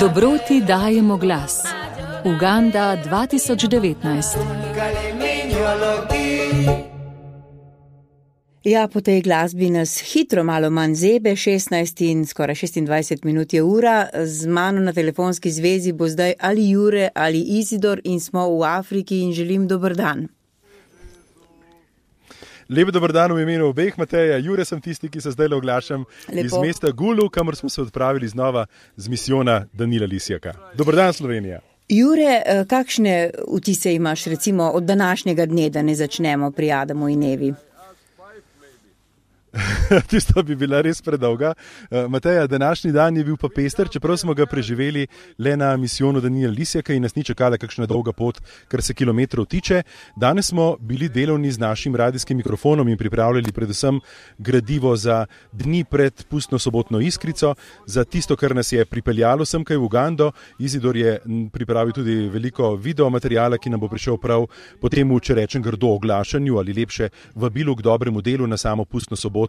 Dobroti dajemo glas. Uganda 2019. Ja, po tej glasbi nas hitro malo manj zebe, 16 in skoraj 26 minut je ura. Z mano na telefonski zvezi bo zdaj ali Jure ali Izidor in smo v Afriki in želim dober dan. Lep dober dan v imenu obeh, Mateja. Jure sem tisti, ki se zdaj oglašam iz mesta Gulu, kamor smo se odpravili znova z misijona Danila Lisjaka. Dober dan, Slovenija. Jure, kakšne vtise imaš recimo od današnjega dne, da ne začnemo pri Adamu in Evi? Tisto bi bila res predolga. Mateja, današnji dan je bil pa pester, čeprav smo ga preživeli le na misijonu Danila Lisjaka in nas ni čakala kakšna dolga pot, kar se kilometrov tiče. Danes smo bili delovni z našim radijskim mikrofonom in pripravljali predvsem gradivo za dni pred pustno sobotno iskrico, za tisto, kar nas je pripeljalo semkaj v Ugando. Izidor je pripravil tudi veliko videomaterijala, ki nam bo prišel prav po temu, če rečem grdo, oglašanju ali lepše vabilu k dobremu delu na samo pustno soboto.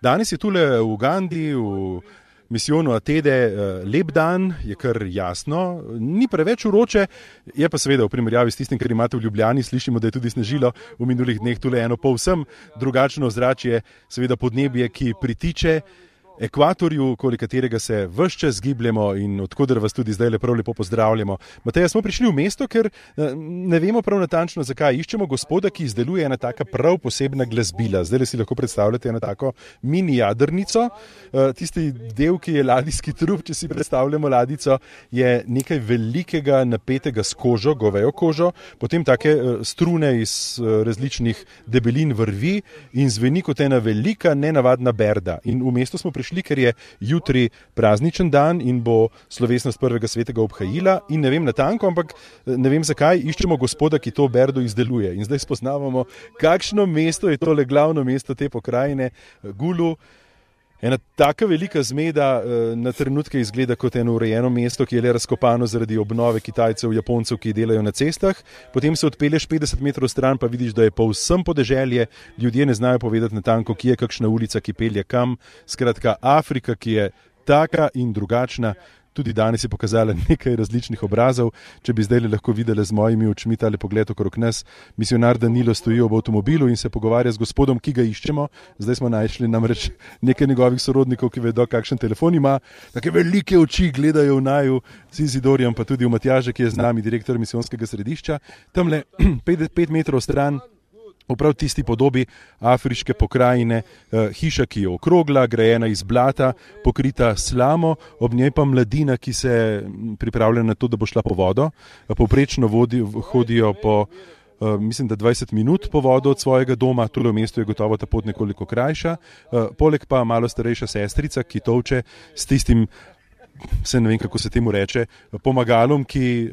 Danes je tule v Ugandi, v misijonu Atede, lep dan, je kar jasno, ni preveč vroče, je pa seveda v primerjavi s tistim, kar imate v Ljubljani, slišimo, da je tudi snežilo v minulih dneh tule eno povsem drugačno ozračje, seveda podnebje, ki pritiče ekvatorju, okoli katerega se ves čas gibljemo in odkoder vas tudi zdaj lepo pozdravljamo. Mateja, smo prišli v mesto, ker ne vemo prav natančno, zakaj. Iščemo gospoda, ki izdeluje ena taka prav posebna glasbila. Zdaj si lahko predstavljate eno tako mini jadrnico. Tisti del, ki je ladijski trup, če si predstavljamo ladico, je nekaj velikega napetega s kožo, govejo kožo, potem take strune iz različnih debelin vrvi in zveni kot ena velika, nenavadna berda. In v mesto smo prišli, ker je jutri prazničen dan in bo slovesnost prvega svetega obhajila in ne vem natanko, ampak ne vem zakaj, iščemo gospoda, ki to berdo izdeluje. In zdaj spoznavamo, kakšno mesto je tole glavno mesto te pokrajine, Gulu. Ena taka velika zmeda na trenutke izgleda kot eno urejeno mesto, ki je le razkopano zaradi obnove Kitajcev, Japoncev, ki delajo na cestah. Potem se odpelješ 50 metrov stran, pa vidiš, da je povsem podeželje. Ljudje ne znajo povedati natanko, kje je kakšna ulica, ki pelje kam. Skratka, Afrika, ki je taka in drugačna. Tudi danes je pokazala nekaj različnih obrazov. Če bi zdaj lahko videli z mojimi očmi tale pogled okrog nas, misionar Danilo stoji ob avtomobilu in se pogovarja z gospodom, ki ga iščemo. Zdaj smo našli namreč nekaj njegovih sorodnikov, ki vedo, kakšen telefon ima. Take velike oči gledajo v naju z Izidorjem, pa tudi v Matjaža, ki je z nami, direktor misijonskega središča. Tamle 5 metrov stran, v prav tisti podobi afriške pokrajine, hiša, ki je okrogla, grajena iz blata, pokrita slamo, ob njej pa mladina, ki se pripravlja na to, da bo šla po vodo. Povprečno hodijo po, mislim, da 20 minut po vodo od svojega doma, tule v mestu je gotovo ta pot nekoliko krajša. Poleg pa malo starejša sestrica, ki tolče s tistim, se ne vem, kako se temu reče, pomagalom, ki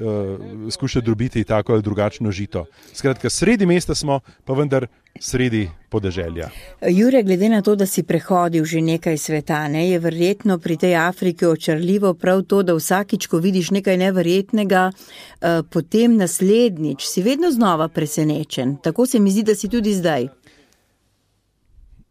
skuša drobiti tako ali drugačno žito. Skratka, sredi mesta smo, pa vendar sredi podeželja. Jure, glede na to, da si prehodil že nekaj sveta, je verjetno pri tej Afriki očarljivo prav to, da vsakič, ko vidiš nekaj neverjetnega, potem naslednjič si vedno znova presenečen. Tako se mi zdi, da si tudi zdaj.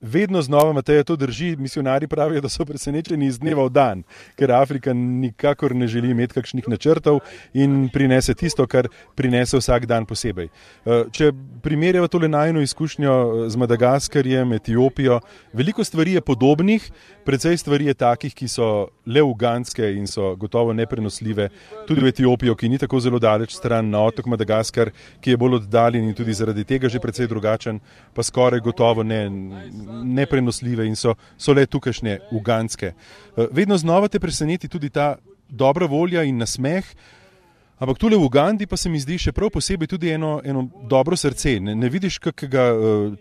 Vedno znova, Mateja, to drži. Misionari pravijo, da so presenečeni iz dneva v dan, ker Afrika nikakor ne želi imeti kakšnih načrtov in prinese tisto, kar prinese vsak dan posebej. Če primerjava tole najino izkušnjo z Madagaskarjem, Etiopijo, veliko stvari je podobnih, precej stvari je takih, ki so le ugandske in so gotovo neprenosljive. Tudi v Etiopijo, ki ni tako zelo daleč stran, na otok Madagaskar, ki je bolj oddaljen in tudi zaradi tega že precej drugačen, pa skoraj gotovo neprenosljive in so le tukajšnje ugandske. Vedno znova te preseneti tudi ta dobra volja in nasmeh, ampak tule v Ugandi pa se mi zdi še prav posebej tudi eno dobro srce. Ne vidiš kakega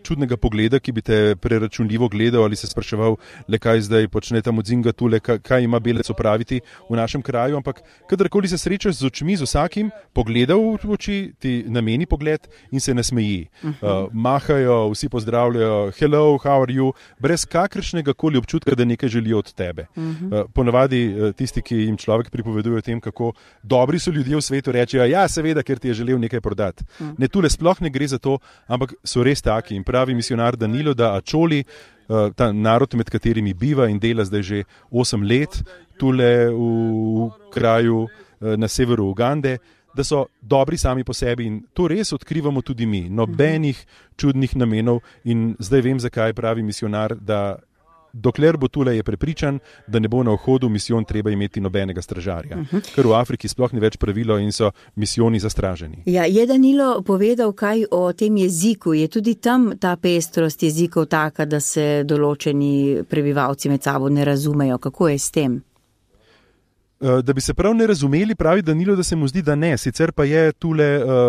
čudnega pogleda, ki bi te preračunljivo gledal ali se spraševal, le kaj zdaj počne ta Mudzinga tule, kaj ima belec opraviti v našem kraju, ampak kadarkoli se srečaš z očmi, z vsakim, pogleda v oči, ti nameni pogled in se nasmeji. Mahajo, vsi pozdravljajo, hello, how are you, brez kakršnega koli občutka, da nekaj želijo od tebe. Ponavadi tisti, ki jim človek pripoveduje o tem, kako dobri so ljudje v svetu, rečejo, ja, seveda, ker ti je želel nekaj prodati. Ne, tule sploh ne gre za to, ampak so res taki in pravi misionar Danilo, da Acholi ta narod, med katerimi biva in dela zdaj že 8 let, tule v kraju na severu Ugande, da so dobri sami po sebi in to res odkrivamo tudi mi. Nobenih čudnih namenov in zdaj vem, zakaj pravi misionar, da dokler bo tule je prepričan, da ne bo na vhodu misijon treba imeti nobenega stražarja. Ker v Afriki sploh ni več pravilo in so misijoni zastraženi. Ja, je Danilo povedal kaj o tem jeziku? Je tudi tam ta pestrost jezikov taka, da se določeni prebivalci med sabo ne razumejo? Kako je s tem? Da bi se prav ne razumeli, pravi Danilo, da se mu zdi, da ne. Sicer pa je tule,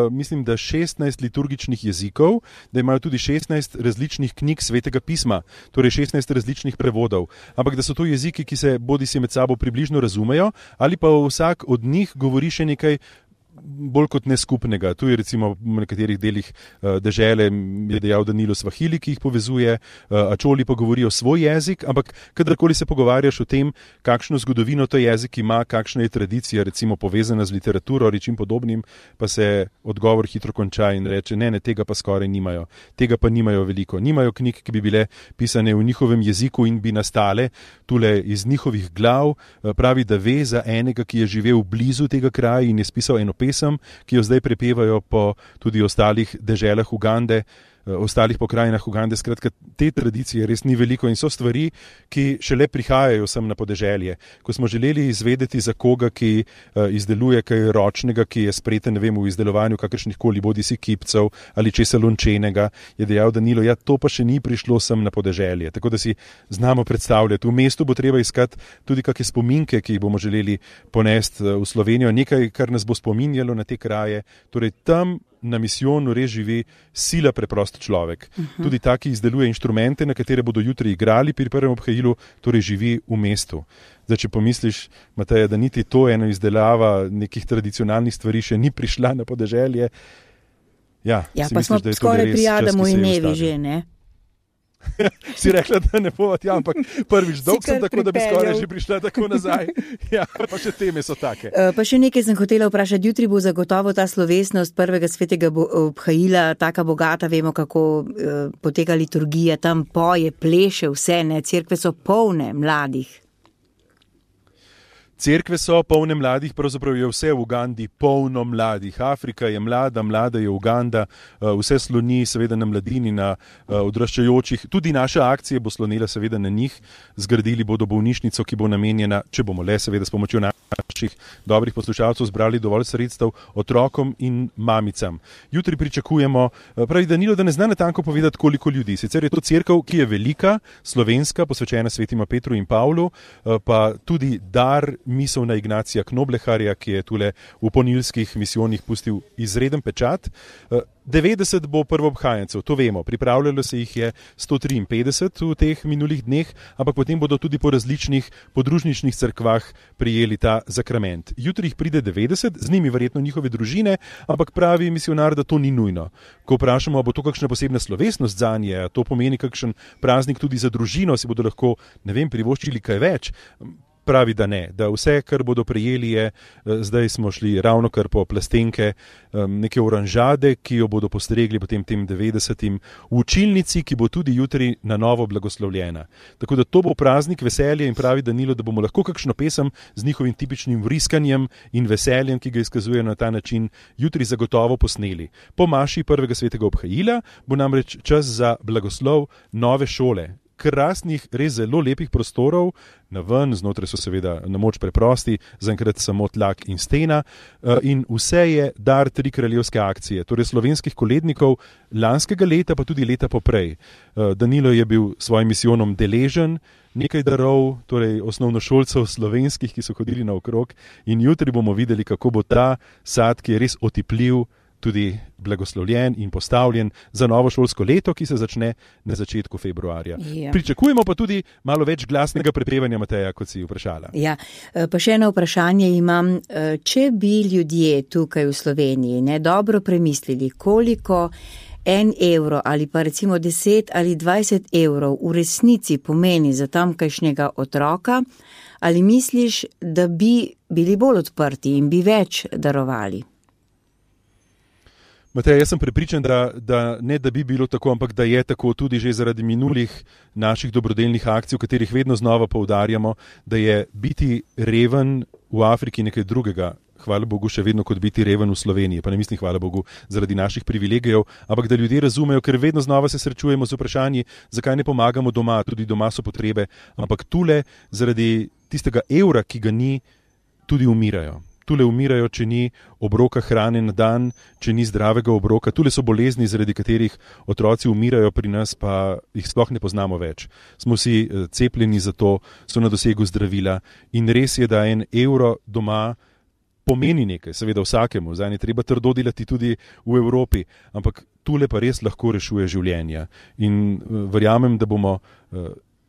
mislim, da 16 liturgičnih jezikov, da imajo tudi 16 različnih knjig Svetega pisma, torej 16 različnih prevodov. Ampak da so to jeziki, ki se bodisi med sabo približno razumejo, ali pa vsak od njih govori še nekaj bolj kot neskupnega. Tu je recimo v nekaterih delih dežele, je dejal Danilo, svahili, ki jih povezuje, ačoli pa govorijo svoj jezik, ampak kadarkoli se pogovarjaš o tem, kakšno zgodovino to jezik ima, kakšna je tradicija, recimo povezana z literaturo ali čim podobnim, pa se odgovor hitro konča in reče, ne, tega pa skoraj nimajo. Tega pa nimajo veliko. Nimajo knjig, ki bi bile pisane v njihovem jeziku in bi nastale tule iz njihovih glav. Pravi, da ve za enega, ki je živel blizu tega kraja in je spisal eno pesem, ki jo zdaj prepevajo po tudi ostalih deželah Ugande, ostalih pokrajinah Ugande. Skratka, te tradicije res ni veliko in so stvari, ki šele prihajajo sem na podeželje. Ko smo želeli izvedeti za koga, ki izdeluje kaj ročnega, ki je spreten, ne vem, v izdelovanju kakršnih koli bodisi kipcev ali česa lončenega, je dejal Danilo, ja, to pa še ni prišlo sem na podeželje. Tako da si znamo predstavljati. V mestu bo treba iskati tudi kakšne spominke, ki jih bomo želeli ponesti v Slovenijo, nekaj, kar nas bo spominjalo na te kraje. Torej, tam na misijonu res živi sila preprost človek. Tudi ta, ki izdeluje inštrumente, na katere bodo jutri igrali pri prvem obhajilu, torej živi v mestu. Zdaj, če pomisliš, Mateja, da niti to eno izdelava nekih tradicionalnih stvari še ni prišla na podeželje. Ja, pa misliš, smo skoraj pri Adamu in Evi že, ne? Si rekla, da ne bo, ja, ampak prvič dolg sem tako, da bi skoraj že prišla tako nazaj. Ja, pa še teme so take. Pa še nekaj sem hotela vprašati. Jutri bo zagotovo ta slovesnost prvega svetega obhajila taka bogata, vemo, kako poteka liturgija, tam poje, pleše vse, ne, cerkve so polne mladih. Cerkve so polne mladih, pravzaprav je vse v Ugandi polno mladih. Afrika je mlada, mlada je Uganda, vse sloni seveda na mladini, na odraščajočih. Tudi naša akcija bo slonila seveda na njih. Zgradili bodo bolnišnico, ki bo namenjena, če bomo le seveda s pomočjo naših dobrih poslušalcev zbrali dovolj sredstev otrokom in mamicam. Jutri pričakujemo, pravi Danilo, da ne zna natanko povedati, koliko ljudi. Sicer je to cerkev, ki je velika, slovenska, posvečena svetima Petru in Pavlu, pa tudi dar miselna Ignacija Knobleharja, ki je tule v ponilskih misijonih pustil izreden pečat. 90 bo prvobhajencev, to vemo, pripravljalo se jih je 153 v teh minulih dneh, ampak potem bodo tudi po različnih podružničnih cerkvah prijeli ta zakrament. Jutri jih pride 90, z njimi verjetno njihove družine, ampak pravi misionar, da to ni nujno. Ko vprašamo, bo to kakšna posebna slovesnost zanje, to pomeni kakšen praznik tudi za družino, si bodo lahko, ne vem, privoščili kaj več. Pravi, da ne, da vse, kar bodo prejeli je, zdaj smo šli ravno kar po plastenke, neke oranžade, ki jo bodo postregli potem tem 90 v učilnici, ki bo tudi jutri na novo blagoslovljena. Tako da to bo praznik veselja in pravi Danilo, da bomo lahko kakšno pesem z njihovim tipičnim vriskanjem in veseljem, ki ga izkazujejo na ta način, jutri zagotovo posneli. Po maši prvega svetega obhajila bo namreč čas za blagoslov nove šole. Krasnih, res zelo lepih prostorov, naven, znotraj so seveda na moč preprosti, zaenkrat samo tlak in stena, in vse je dar 3 kraljevske akcije, torej slovenskih kolednikov lanskega leta, pa tudi leta poprej. Danilo je bil svojim misijonom deležen nekaj darov, torej osnovnošolcev slovenskih, ki so hodili naokrog, in jutri bomo videli, kako bo ta sad, ki je res otipljiv, tudi blagoslovljen in postavljen za novo šolsko leto, ki se začne na začetku februarja. Ja. Pričakujemo pa tudi malo več glasnega prepevanja, Mateja, kot si vprašala. Ja, pa še eno vprašanje imam. Če bi ljudje tukaj v Sloveniji dobro premislili, koliko 1 evro ali pa recimo 10 ali 20 evrov v resnici pomeni za tamkajšnjega otroka, ali misliš, da bi bili bolj odprti in bi več darovali? Matej, jaz sem prepričan, da ne da bi bilo tako, ampak da je tako tudi že zaradi minulih naših dobrodelnih akcij, v katerih vedno znova poudarjamo, da je biti reven v Afriki nekaj drugega. Hvala Bogu, še vedno kot biti reven v Sloveniji, pa ne mislim hvala Bogu zaradi naših privilegijev, ampak da ljudje razumejo, ker vedno znova se srečujemo z vprašanji, zakaj ne pomagamo doma, tudi doma so potrebe, ampak tule zaradi tistega evra, ki ga ni, tudi umirajo. Tule umirajo, če ni obroka hrane na dan, če ni zdravega obroka. Tule so bolezni, zaradi katerih otroci umirajo, pri nas pa jih sploh ne poznamo več. Smo si cepljeni za to, so na dosegu zdravila in res je, da en evro doma pomeni nekaj, seveda vsakemu, zdaj je treba trdo delati tudi v Evropi, ampak tule pa res lahko rešuje življenja. In verjamem, da bomo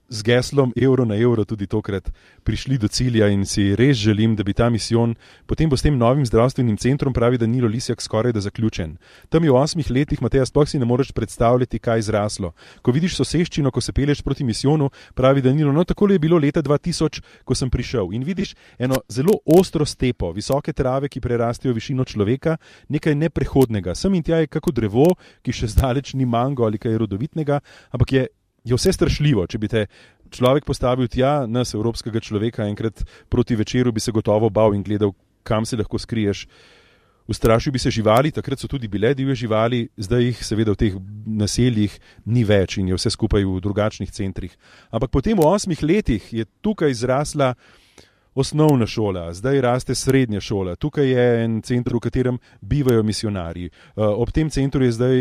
z geslom evro na evro tudi tokrat prišli do cilja in si res želim, da bi ta misijon potem bo s tem novim zdravstvenim centrom, pravi Danilo Lisjak, skoraj da zaključen. Tam je v 8 letih, Mateja, sploh si ne moreš predstavljati, kaj zraslo. Ko vidiš soseščino, ko se pelješ proti misijonu, pravi Danilo, no takole je bilo leta 2000, ko sem prišel in vidiš eno zelo ostro stepo, visoke trave, ki prerastejo višino človeka, nekaj neprehodnega. Sem in tja je kako drevo, ki še zdaleč ni mango ali kaj rodovitnega, ampak je vse strašljivo. Če bi te človek postavil tja, nas, evropskega človeka, enkrat proti večeru, bi se gotovo bal in gledal, kam se lahko skriješ. Ustrašil bi se živali, takrat so tudi bile divje živali, zdaj jih seveda v teh naseljih ni več in je vse skupaj v drugačnih centrih. Ampak potem v 8 letih je tukaj zrasla osnovna šola, zdaj raste srednja šola, tukaj je en center, v katerem bivajo misionarji. Ob tem centru je zdaj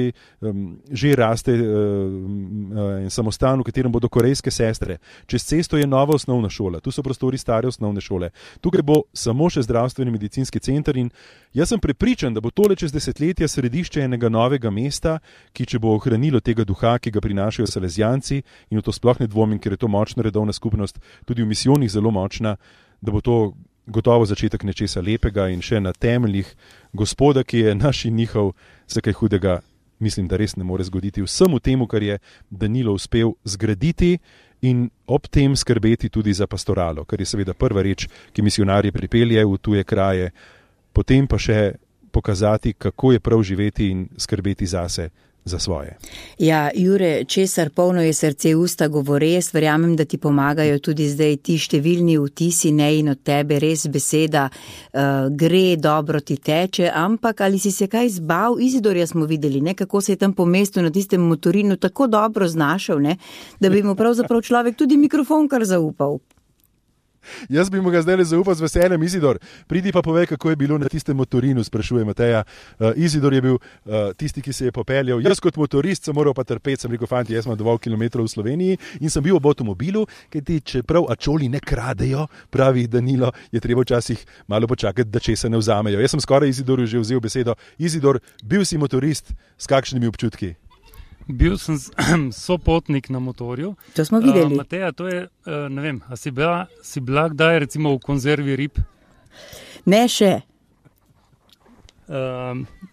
že raste en samostan, v katerem bodo korejske sestre. Čez cesto je nova osnovna šola, tu so prostori stare osnovne šole. Tukaj bo samo še zdravstveni medicinski center in jaz sem prepričan, da bo tole čez desetletja središče enega novega mesta, ki če bo ohranilo tega duha, ki ga prinašajo Salezijanci, in v to sploh ne dvomim, ker je to močna redovna skupnost, tudi v misijonih zelo močna, da bo to gotovo začetek nečesa lepega in še na temeljih Gospoda, ki je naš in njihov, se kaj hudega, mislim, da res ne more zgoditi. Vsemu temu, kar je Danilo uspel zgraditi in ob tem skrbeti tudi za pastoralo, kar je seveda prva reč, ki misionarje pripelje v tuje kraje, potem pa še pokazati, kako je prav živeti in skrbeti zase, za svoje. Ja, Jure, česar polno je srce usta govore, jaz verjamem, da ti pomagajo tudi zdaj ti številni vtisi, ne, in od tebe res beseda gre, dobro ti teče, ampak ali si se kaj zbav? Izidorja smo videli, ne, kako se je tam po mestu na tistem motorinu tako dobro znašel, ne, da bi mu pravzaprav človek tudi mikrofon kar zaupal. Jaz bi mu ga zdaj zaupal z veseljem. Izidor, pridi pa povej, kako je bilo na tistem motorinu, sprašuje Mateja. Izidor je bil tisti, ki se je popeljal. Jaz kot motorist sem moral pa trpeti, sem rekel, fanti, jaz imam 2 kilometrov v Sloveniji in sem bil ob avtomobilu, kajti čeprav ačoli ne kradejo, pravi Danilo, je treba včasih malo počakati, da česa ne vzamejo. Jaz sem skoraj Izidorju že vzel besedo. Izidor, bil si motorist, s kakšnimi občutki? Bil sem sopotnik na motorju. To smo videli. Mateja, to je, ne vem, a si bila kdaj recimo v konzervi rib? Ne še.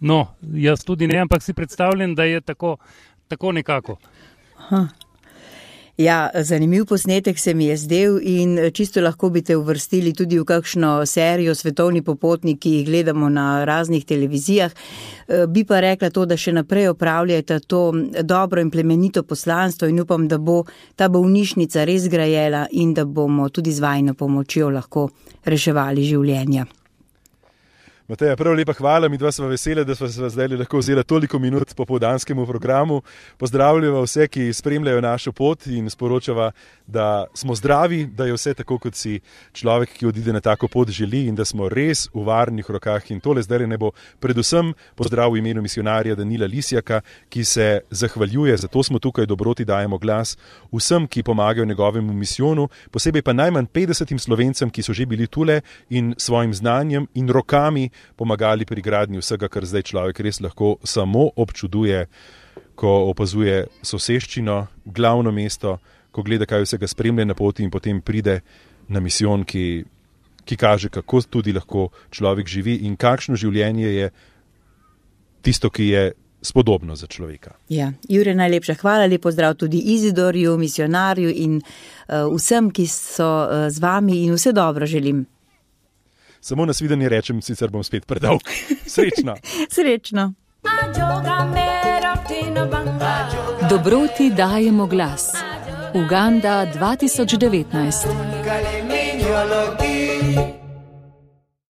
No, jaz tudi ne, ampak si predstavljam, da je tako nekako. Ja, zanimiv posnetek se mi je zdel in čisto lahko bi te uvrstili tudi v kakšno serijo Svetovni popotnik, ki jih gledamo na raznih televizijah. Bi pa rekla to, da še naprej opravljate to dobro in plemenito poslanstvo in upam, da bo ta bolnišnica res grajela in da bomo tudi z vajino pomočjo lahko reševali življenja. Mateja, prav lepa hvala, mi dva sva vesela, da sva se zdaj lahko vzela toliko minut po povdanskemu programu. Pozdravljava vse, ki spremljajo našo pot in sporočava, da smo zdravi, da je vse tako, kot si človek, ki odide na tako pot, želi in da smo res v varnih rokah. In tole zdaj ne bo predvsem pozdrav v imenu misionarja Danila Lisjaka, ki se zahvaljuje, zato smo tukaj, dobroti dajemo glas vsem, ki pomagajo njegovemu misijonu, posebej pa najmanj 50 Slovencem, ki so že bili tule in svojim znanjem in rokami pomagali pri gradnji vsega, kar zdaj človek res lahko samo občuduje, ko opazuje soseščino, glavno mesto, ko gleda, kaj vsega spremlja na poti in potem pride na misijon, ki kaže, kako tudi lahko človek živi in kakšno življenje je tisto, ki je spodobno za človeka. Ja, Jure, najlepša hvala, lep pozdrav tudi Izidorju, misionarju in vsem, ki so z vami in vse dobro želim. Samo nasvidenje rečem, sicer bom spet predolg. Srečno. Srečno. Dobroti dajemo glas. Uganda 2019.